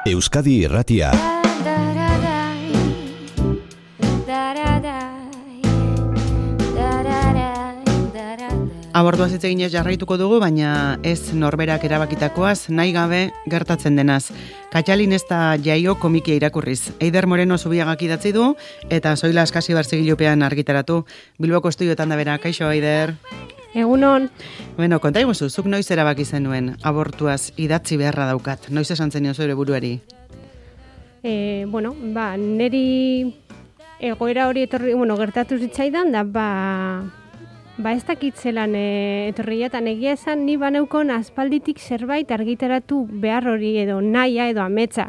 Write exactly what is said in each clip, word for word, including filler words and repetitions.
Euskadi Irratia. Abortuaz hitz eginez jarraituko dugu, baina ez norberak erabakitakoaz, nahi gabe gertatzen denaz. Katxalin ez da jaio komikia irakurriz. Eider Moreno Zubiagak idatzi du, eta Zoila Askasi Barzigilupean argitaratu. Bilboko estudioetan da bera. Kaixo, Eider? Egunon. Bueno, konta iguzu, zuk noiz erabaki zenuen abortuaz idatzi beharra daukat. Noiz esan zenio zure buruari? E, bueno, ba, neri egoera hori etorri, bueno, gertatu zitzaidan, da, ba... Ba ez dakitzelan e, etorriatan egia esan ni baneukon aspalditik zerbait argitaratu behar hori edo naia edo ametsa.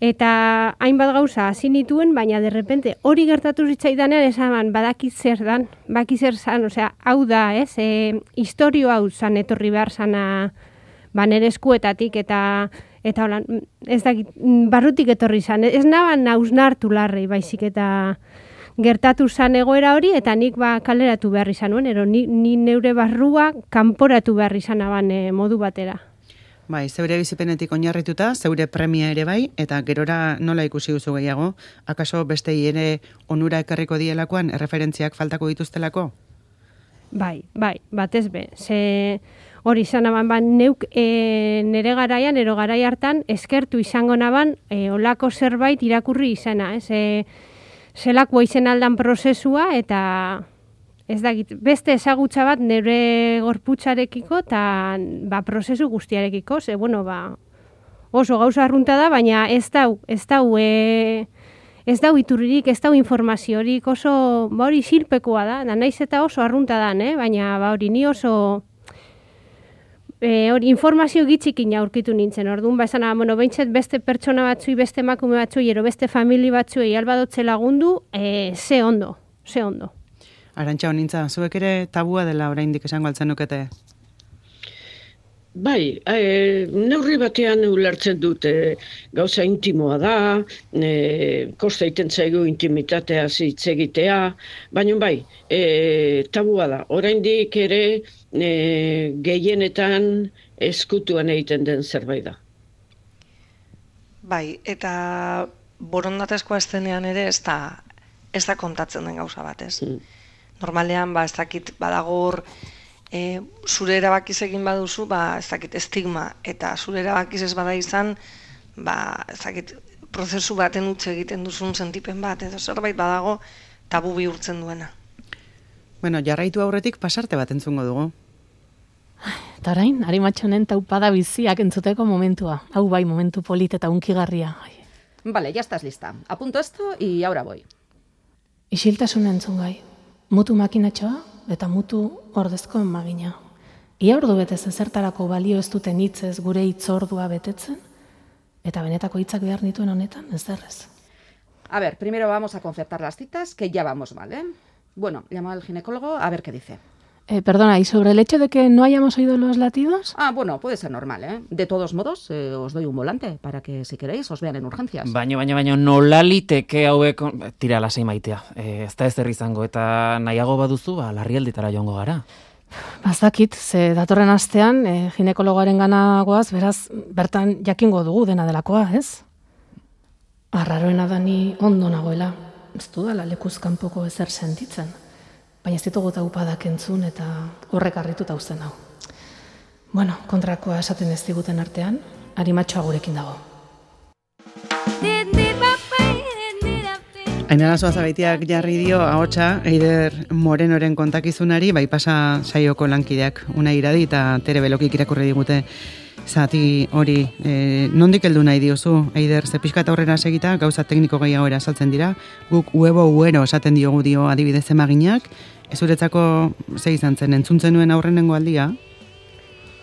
Eta hainbat gauza hasi nituen, baina derrepente hori gertatu zitzaidanean esan badakit zer dan, baki zer zan, osea, hau da, ez, e, historio hau zan etorri behar zana ba, nere eskuetatik eta eta holan, ez dakit, barrutik etorri zan, ez naban hausnartu larrei baizik eta gertatu zan egoera hori, eta nik ba kaleratu behar izan nuen, ero ni, ni neure barrua kanporatu behar izan aban e, modu batera. Bai, zeure bizipenetik oinarrituta, zeure premia ere bai, eta gerora nola ikusi duzu gehiago? Akaso bestei ere onura ekarriko dielakoan, erreferentziak faltako dituztelako? Bai, bai, batez be. Ze hori izan aban, ba, neuk e, nere garaian, ero garai hartan, eskertu izango naban, e, olako zerbait irakurri izana, ez? E, Zelakoa izen aldan prozesua eta ez dakit, beste ezagutza bat nire gorputzarekiko eta ba, prozesu guztiarekiko, ze bueno, ba, oso gauza arrunta da, baina ez dau, ez dau, e, ez dau iturririk, ez dau informaziorik, oso ba, hori silpekoa da, da naiz eta oso arrunta da, eh? Baina ba, hori ni oso E, hori, informazio gitxikin aurkitu nintzen, orduan, ba, esan, bueno, behintzat beste pertsona batzui, beste emakume batzui, ero beste famili batzuei albadotze lagundu, e, ze ondo, ze ondo. Arantxa honintza, zuek ere tabua dela oraindik esango altzen nukete? Bai, e, neurri batean ulertzen dute gauza intimoa da, e, kosta iten zaigu intimitatea hitz egitea, baina bai, e, tabua da. Oraindik ere e, gehienetan eskutuan egiten den zerbait da. Bai, eta borondatezkoa estenean ere ez da, ez da kontatzen den gauza bat, ez? Mm. Normalean, ba, ez dakit badagor, E, zure erabakiz egin baduzu, ba, ez dakit estigma, eta zure erabakiz ez bada izan, ba, ez dakit prozesu baten utzi egiten duzun sentipen bat, edo zerbait badago tabu bihurtzen duena. Bueno, jarraitu aurretik pasarte bat entzungo dugu. Eta orain, Arimatxonen taupada biziak entzuteko momentua. Hau bai, momentu polit eta unkigarria. Vale, ya estás lista. Apunto esto y ahora voy. Isiltasuna entzun gai. Mutu makinatxoa eta mutu ordezko magina. Ia ordu betez ezertarako balio ez duten hitzez gure hitzordua betetzen, eta benetako hitzak behar nituen honetan, ez derrez. A ver, primero vamos a concertar las citas, que ya vamos mal, ¿eh? Bueno, llamo al ginecólogo a ver qué dice. Eh, perdona, ¿y sobre el hecho de que no hayamos oído los latidos? Ah, bueno, puede ser normal, ¿eh? De todos modos, eh, os doy un volante para que, si queréis, os vean en urgencias. Baina, baina, baina, nola liteke hauek... Tira, lasai maitea. Eh, ez da ez izango, eta nahiago baduzu, ba, larrialditara joango gara. Bazakit, ze datorren astean, eh, ginekologoaren gana goaz, beraz, bertan jakingo dugu dena delakoa, ez? Arraroena da ni ondo nagoela. Ez dudala lekuz kanpoko ezer sentitzen. Baina ez ditugu taupadak entzun eta horrek harrituta uzten hau. Bueno, kontrakoa esaten ez diguten artean, Arimatxoa gurekin dago. Ainara Zuazabeitiak jarri dio ahotsa Eider Morenoren kontakizunari, bai pasa saioko lankideak Unai Iradi eta Tere Belokik irakurri digute zati hori. E, nondik heldu nahi diozu, Eider, ze pixka eta aurrera segita, gauza tekniko gehiago erasaltzen dira, guk huevo huero esaten diogu dio adibidez emaginak, ezuretzako ze izan zen, entzuntzen nuen aurrenengo aldia?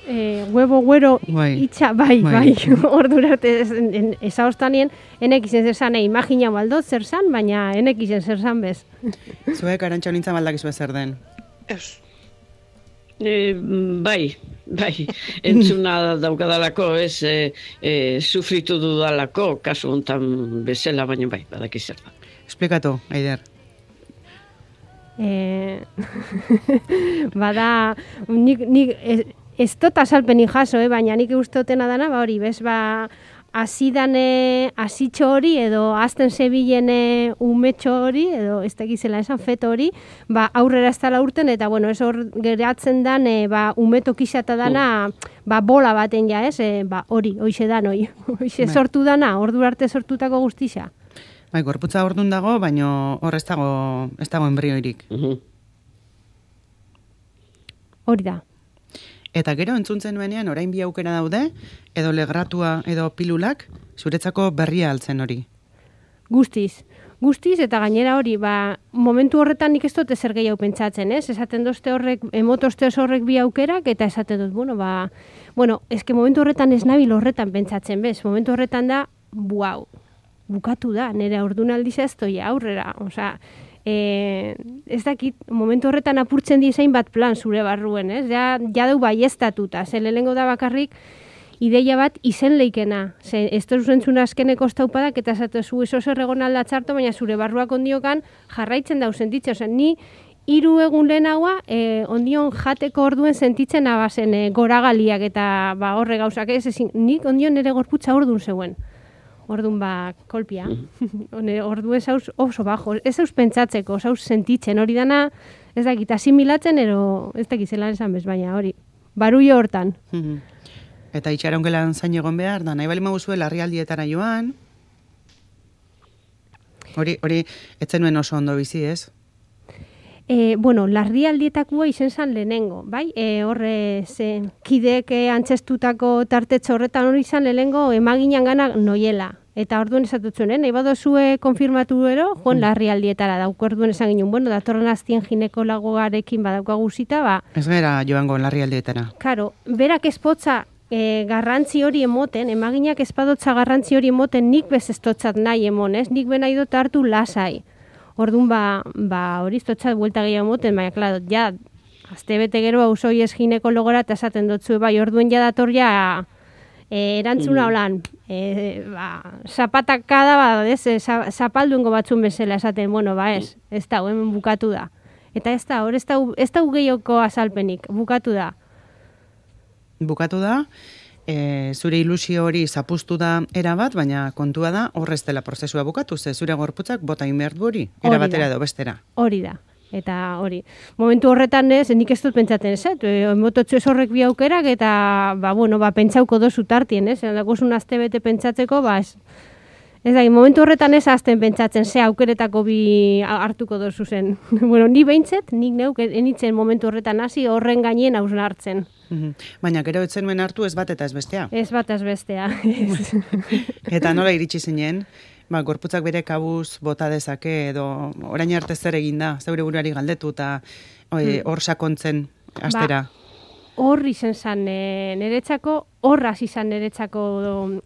E, huevo huero bai. itxa, bai, bai, bai. Ordura arte ezaostanien, enek izen zer zan, imagina baldot zer zan, baina enek izen zer zan bez. Zuek Arantxa honintzen baldakizue zer den? Ez. E, bai, bai, entzuna daukadalako, ez, e, e, sufritu dudalako, kasu hontan bezala, baina bai, badaki zer da. Esplikatu, Eider. E, bada, nik, nik ez, ez dut azalpenik jaso, eh, baina nik ustotena dana, ba hori, bez, ba, azidan azitxo hori, edo azten zebilen umetxo hori, edo ez da gizela esan feto hori, ba, aurrera ez dala urten, eta bueno, ez hor geratzen dan, e, ba, umeto kisata dana, ba, bola baten ja, ez, e, ba, hori, hoize dan, hori, hoize sortu dana, ordu arte sortutako guztixa. Bai, gorputza ordun dago, baino hor ez dago, ez dago embrioirik. Hori da. Eta gero entzuntzen nuenean orain bi aukera daude, edo legratua edo pilulak, zuretzako berria altzen hori. Guztiz. Guztiz, eta gainera hori, ba, momentu horretan nik ez dut ezer gehiago pentsatzen, ez? Esaten dozte horrek, emotozte horrek bi aukerak, eta esaten dut, bueno, ba, bueno, eske momentu horretan ez nabil horretan pentsatzen, bez? Momentu horretan da, buau, bukatu da, nire ordunaldiza ez doia aurrera, osea, E, ez dakit, momentu horretan apurtzen dizain bat plan zure barruen, ez? Ja, ja dau baiestatuta, ze lehenengo da bakarrik ideia bat izen leikena. Ze, ez da zuzentzuna azkeneko estaupadak, eta esatu zu eso zer egon alda txarto, baina zure barruak ondiokan jarraitzen dau sentitzen. Osa, ni hiru egun lehenagoa, e, ondion jateko orduen sentitzen abazen e, goragaliak eta ba, horre gauzak, ez ezin, nik ondion nire gorputza ordun zeuen. Ordun ba, kolpia. Ordu ez hauz oso bajo. Ez hauz pentsatzeko, ez hauz sentitzen. Hori dana, ez dakit, asimilatzen, ero ez dakit zelan esan bez, baina hori. Baruio hortan. Eta itxarongelan zain egon behar, da nahi bali maguzue larrialdietara joan. Hori, hori, etzen nuen oso ondo bizi, ez? E, bueno, larrialdietakoa izen zan lehenengo, bai? E, horre, ze, kideek antzestutako tartetxo horretan hori izan lehenengo emaginan gana noiela. Eta orduen esatutzen, eh? Nahi badozue konfirmatu ero, joan larrialdietara dauko orduen esan ginen, bueno, datorren aztien ginekologoarekin badaukagu zita, ba... Ez gara joango larrialdietara. Karo, berak espotza e, garrantzi hori emoten, emaginak espadotza garrantzi hori emoten, nik bez estotzat nahi emon, ez? Nik ben nahi dut hartu lasai. Orduan, ba, ba hori iztotzat buelta gehiago moten, baina, klaro, ja, azte bete gero hausoi ez ginekologora eta esaten dutzu, bai, orduen ja dator ja e, erantzuna holan, e, ba, zapatakada, ba, ez, e, zapalduengo batzun bezala esaten, bueno, ba, ez, ez da, hemen bukatu da. Eta ez da, hor, ez da, ez da gehioko azalpenik, bukatu da. Bukatu da, E, zure ilusio hori zapuztu da erabat, baina kontua da horrez dela prozesua bukatu, ze zure gorputzak bota inbert hori, erabatera edo bestera. Hori da, eta hori. Momentu horretan ez, nik ez dut pentsaten ez, e, emototxo ez horrek bi aukerak, eta, ba, bueno, ba, pentsauko dozu tartien, ez, dakozun azte bete pentsatzeko, ba, ez, ez da, momentu horretan ez azten pentsatzen, ze aukeretako bi hartuko dozu zen. Bueno, ni behintzet, nik neuk enitzen momentu horretan hasi horren gainien hausna hartzen. Baina gero etzen nuen hartu ez bat eta ez bestea. Ez bat ez bestea. Eta nola iritsi zinen, ba, gorputzak bere kabuz bota dezake edo orain arte zer egin da, zeure buruari galdetu eta hor sakontzen astera. Ba, hor izan zan e, niretzako, horraz izan niretzako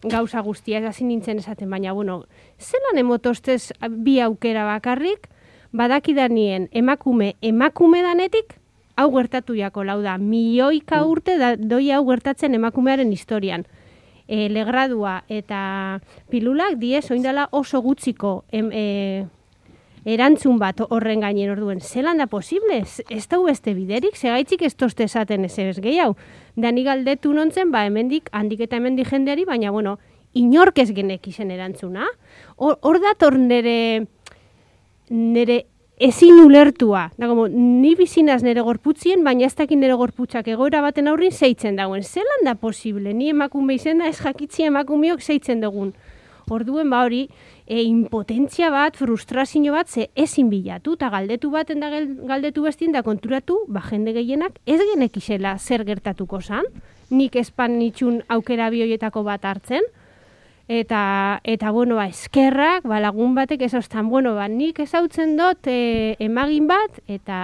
gauza guztia, ez hasi nintzen esaten, baina, bueno, zelan emotostez bi aukera bakarrik, badakidanien emakume, emakume danetik, hau gertatu jako, lau da, milioika urte da, doi hau gertatzen emakumearen historian. E, legradua eta pilulak diez, oindala oso gutziko em, e, erantzun bat horren gainen orduen. Zelan da posible? Ez, ez da beste biderik, segaitzik ez toste esaten ez ez gehiago. Da ni galdetu nontzen, ba, hemendik, handik eta hemendik jendeari, baina, bueno, inork ez genek izen erantzuna. Hor dator nere, nere ezin ulertua. Da, como, ni bizinaz nere gorputzien, baina ez dakin nere gorputzak egoera baten aurrin zeitzen dagoen. Zelan da posible? Ni emakume izena ez jakitzi emakumeok zeitzen dugun. Orduen ba hori, e, impotentzia bat, frustrazio bat, ze ezin bilatu, eta galdetu baten da galdetu bestien da konturatu, ba jende gehienak ez genek izela zer gertatuko zan, nik espan nitxun aukera bioietako bat hartzen, eta, eta bueno, ba, eskerrak, ba, lagun batek ez ostan, bueno, ba, nik ezautzen dut e, emagin bat, eta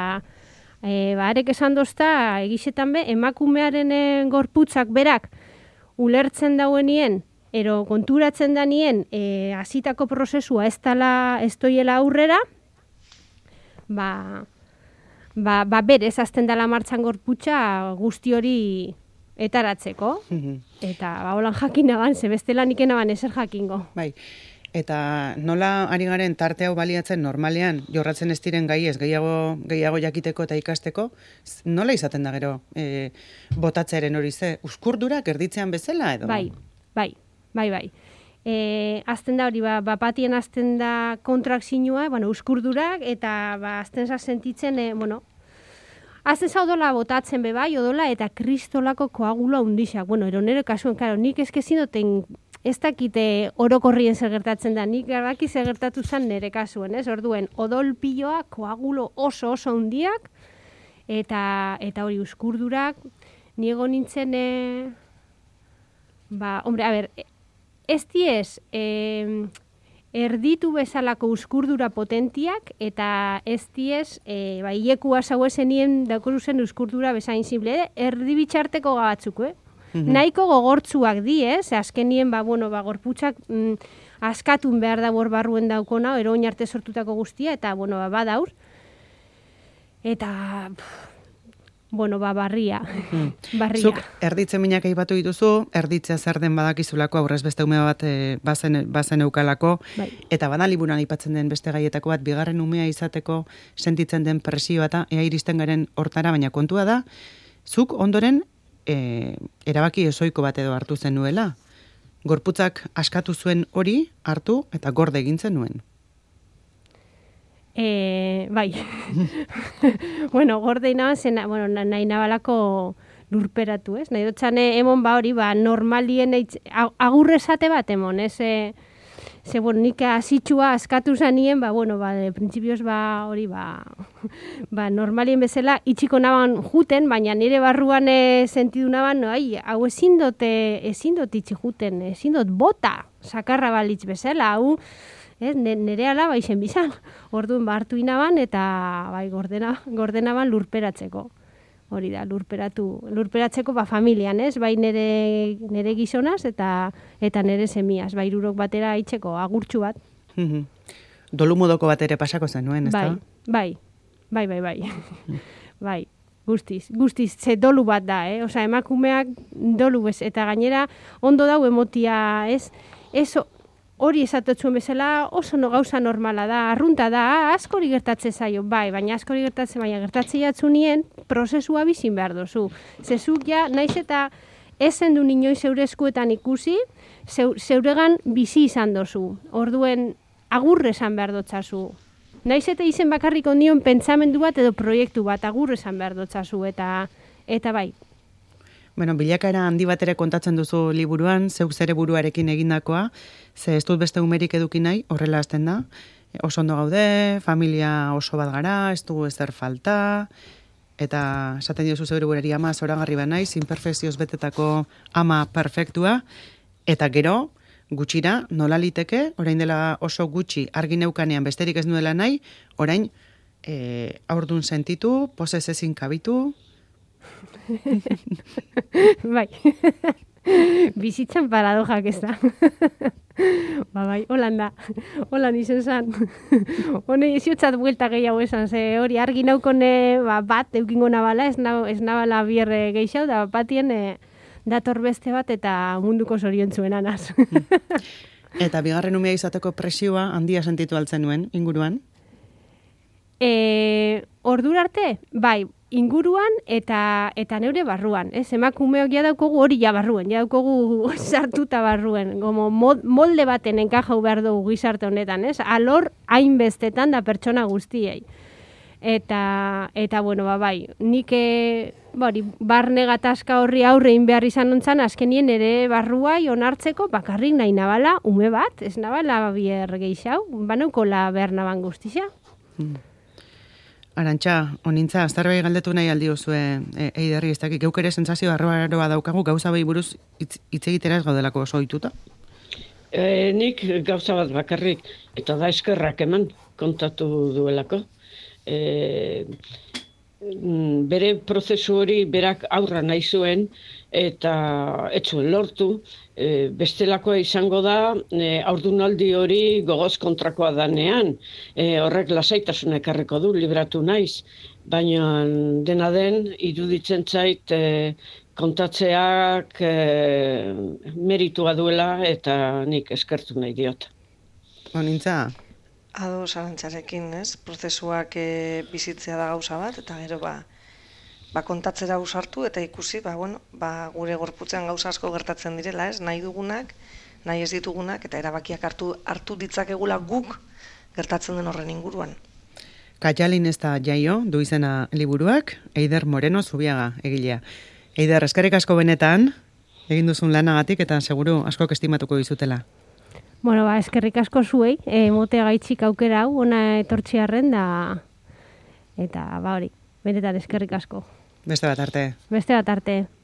e, ba, arek esan dozta, egisetan be, emakumearen e, gorputzak berak ulertzen dauenien, ero konturatzen danien e, hasitako prozesua ez dala, ez doiela aurrera, ba, ba, ba berez azten dala martxan gorputza guzti hori etaratzeko, eta ba, holan jakin naban, ze bestela nik enaban ezer jakingo. Bai, eta nola ari garen tarte hau baliatzen normalean, jorratzen ez diren gai ez, gehiago, gehiago jakiteko eta ikasteko, nola izaten da gero e, botatzeren hori ze, uskurdurak erditzean bezala edo? Bai, bai. Bai, bai. e, azten da hori, ba, bapatien azten da kontrakzinua, bueno, uskurdurak, eta ba, azten za sentitzen, e, bueno, azten za odola botatzen be bai, odola, eta kristolako koagula undixak. Bueno, ero nire kasuen, karo, nik eskezin duten, ez dakite orokorrien zer gertatzen da, nik garbaki zer gertatu zen nire kasuen, ez? Orduen, odol piloa, koagulo oso oso hundiak, eta, eta hori uskurdurak, niego nintzen, e, ba, hombre, a ber, ez diez, e, erditu bezalako uskurdura potentiak, eta ez diez, e, ba, ilekua zauezenien dakoruzen uskurdura bezain simple, erdi bitxarteko gabatzuk, eh? Mm-hmm. Nahiko gogortzuak di, ez? Azkenien, ba, bueno, ba, gorputxak mm, askatun behar da hor barruen daukona, ero oinarte sortutako guztia, eta, bueno, ba, badaur. Eta, pff, bueno, ba, barria. Mm. barria. Zuk erditze minak aipatu dituzu, erditzea zer den badakizulako, aurrez beste ume bat e, bazen, bazen eukalako, bai. Eta bada liburuan aipatzen den beste gaietako bat, bigarren umea izateko sentitzen den presioa eta ea iristen garen hortara, baina kontua da, zuk ondoren, E, erabaki ezoiko bat edo hartu zen nuela. Gorputzak askatu zuen hori hartu eta gorde egintzen nuen. E, bai. bueno, gorde inaban zen, bueno, nahi nabalako lurperatu, ez? Nahi dutxane emon ba hori, ba, normalien eitz, agurrezate bat emon, ez? E, ze, bueno, nik azitxua askatu zanien, ba, bueno, ba, de prinsipioz, ba, hori, ba, ba, normalien bezala, itxiko naban juten, baina nire barruan e, sentidu naban, no, ai, hau ezin dut, ezin dut itxi juten, ezin dut bota, sakarra balitz bezala, hau, ez, nire ala, bai, zen bizan, orduan, ba, hartu inaban, eta, bai, gordena, gordenaban lurperatzeko. Hori da, lurperatu, lurperatzeko ba familian, ez? Bai nere, nere gizonaz eta eta nere semiaz, bai hirurok batera aitzeko agurtxu bat. Mhm. Dolu modoko bat ere pasako zenuen, ezta? Bai, bai, bai, bai, bai. bai, guztiz, guztiz, ze dolu bat da, eh? Osa, emakumeak dolu bez, eta gainera ondo dau emotia, ez? Ez hori esatotzuen bezala oso no gauza normala da, arrunta da, askori gertatze zaio, bai, baina askori gertatze, baina gertatze jatzunien, prozesua bizin behar dozu. Zezuk ja, naiz eta ezen du niñoi zeure eskuetan ikusi, zeuregan bizi izan dozu. Orduen, agurre esan behar dotzazu. Naiz eta izen bakarrik ondion pentsamendu bat edo proiektu bat, agurre esan behar dotzazu, eta, eta bai. Bueno, bilakaera handi bat ere kontatzen duzu liburuan, zeuk zere buruarekin egindakoa, ze ez dut beste umerik eduki nahi, horrela hasten da. Oso ondo gaude, familia oso bat gara, ez dugu ezer falta, eta esaten diozu zeure burari ama zoragarri ba naiz, imperfekzioz betetako ama perfektua, eta gero, gutxira, nola liteke, orain dela oso gutxi argi neukanean besterik ez nuela nahi, orain e, aurdun sentitu, posez ezin kabitu, bai, bizitzan paradojak ez da. ba, bai, holan da, holan izen zan. Hone iziotzat buelta gehiago esan, ze hori argi naukone ba, bat eukingo nabala, ez, na, ez nabala bierre gehiago, da batien e, dator beste bat eta munduko zoriontzuen anaz. Eta bigarren umea izateko presioa handia sentitu altzen nuen, inguruan? E, ordura arte, bai, inguruan eta eta neure barruan, ez? Emakumeok ja daukogu hori ja barruen, ja daukogu sartuta barruen, como molde baten enkajau behar dugu gizarte honetan, ez? Alor hainbestetan da pertsona guztiei. Eta, eta bueno, ba, bai, nik bari, barne gatazka horri aurrein behar izan ontzan, azkenien ere barruai onartzeko bakarrik nahi nabala, ume bat, ez nabala bier geixau, banauko la behar naban guztia. Hmm. Arantxa, onintza, aztarbai galdetu nahi aldi zue e, eiderri, ez dakik, geuk ere sentsazio arroa daukagu, gauza behi buruz hitz egitera ez gaudelako oso ohituta? E, nik gauza bat bakarrik, eta da eskerrak eman kontatu duelako. E, bere prozesu hori berak aurra nahi zuen, eta ez zuen lortu, e, bestelakoa izango da, e, haurdunaldi hori gogoz kontrakoa danean, e, horrek lasaitasuna ekarriko du, libratu naiz, baina dena den, iruditzen zait, e, kontatzeak e, meritua duela, eta nik eskertu nahi diot. Onintza? Ado Arantxarekin, ez? Prozesuak e, bizitzea da gauza bat, eta gero ba, ba kontatzera ausartu eta ikusi, ba, bueno, ba, gure gorputzean gauza asko gertatzen direla, ez? Nahi dugunak nahi ez ditugunak eta erabakiak hartu, hartu ditzakegula guk gertatzen den horren inguruan. Katxalin ez da jaio, du izena liburuak, Eider Moreno Zubiaga egilea. Eider, eskerrik asko benetan, egin duzun lanagatik eta seguru askok estimatuko dizutela. Bueno, ba, eskerrik asko zuei, e, mote gaitxik aukera hau, ona etortxiarren da, eta ba hori, benetan eskerrik asko. Beste bat arte. Beste bat arte.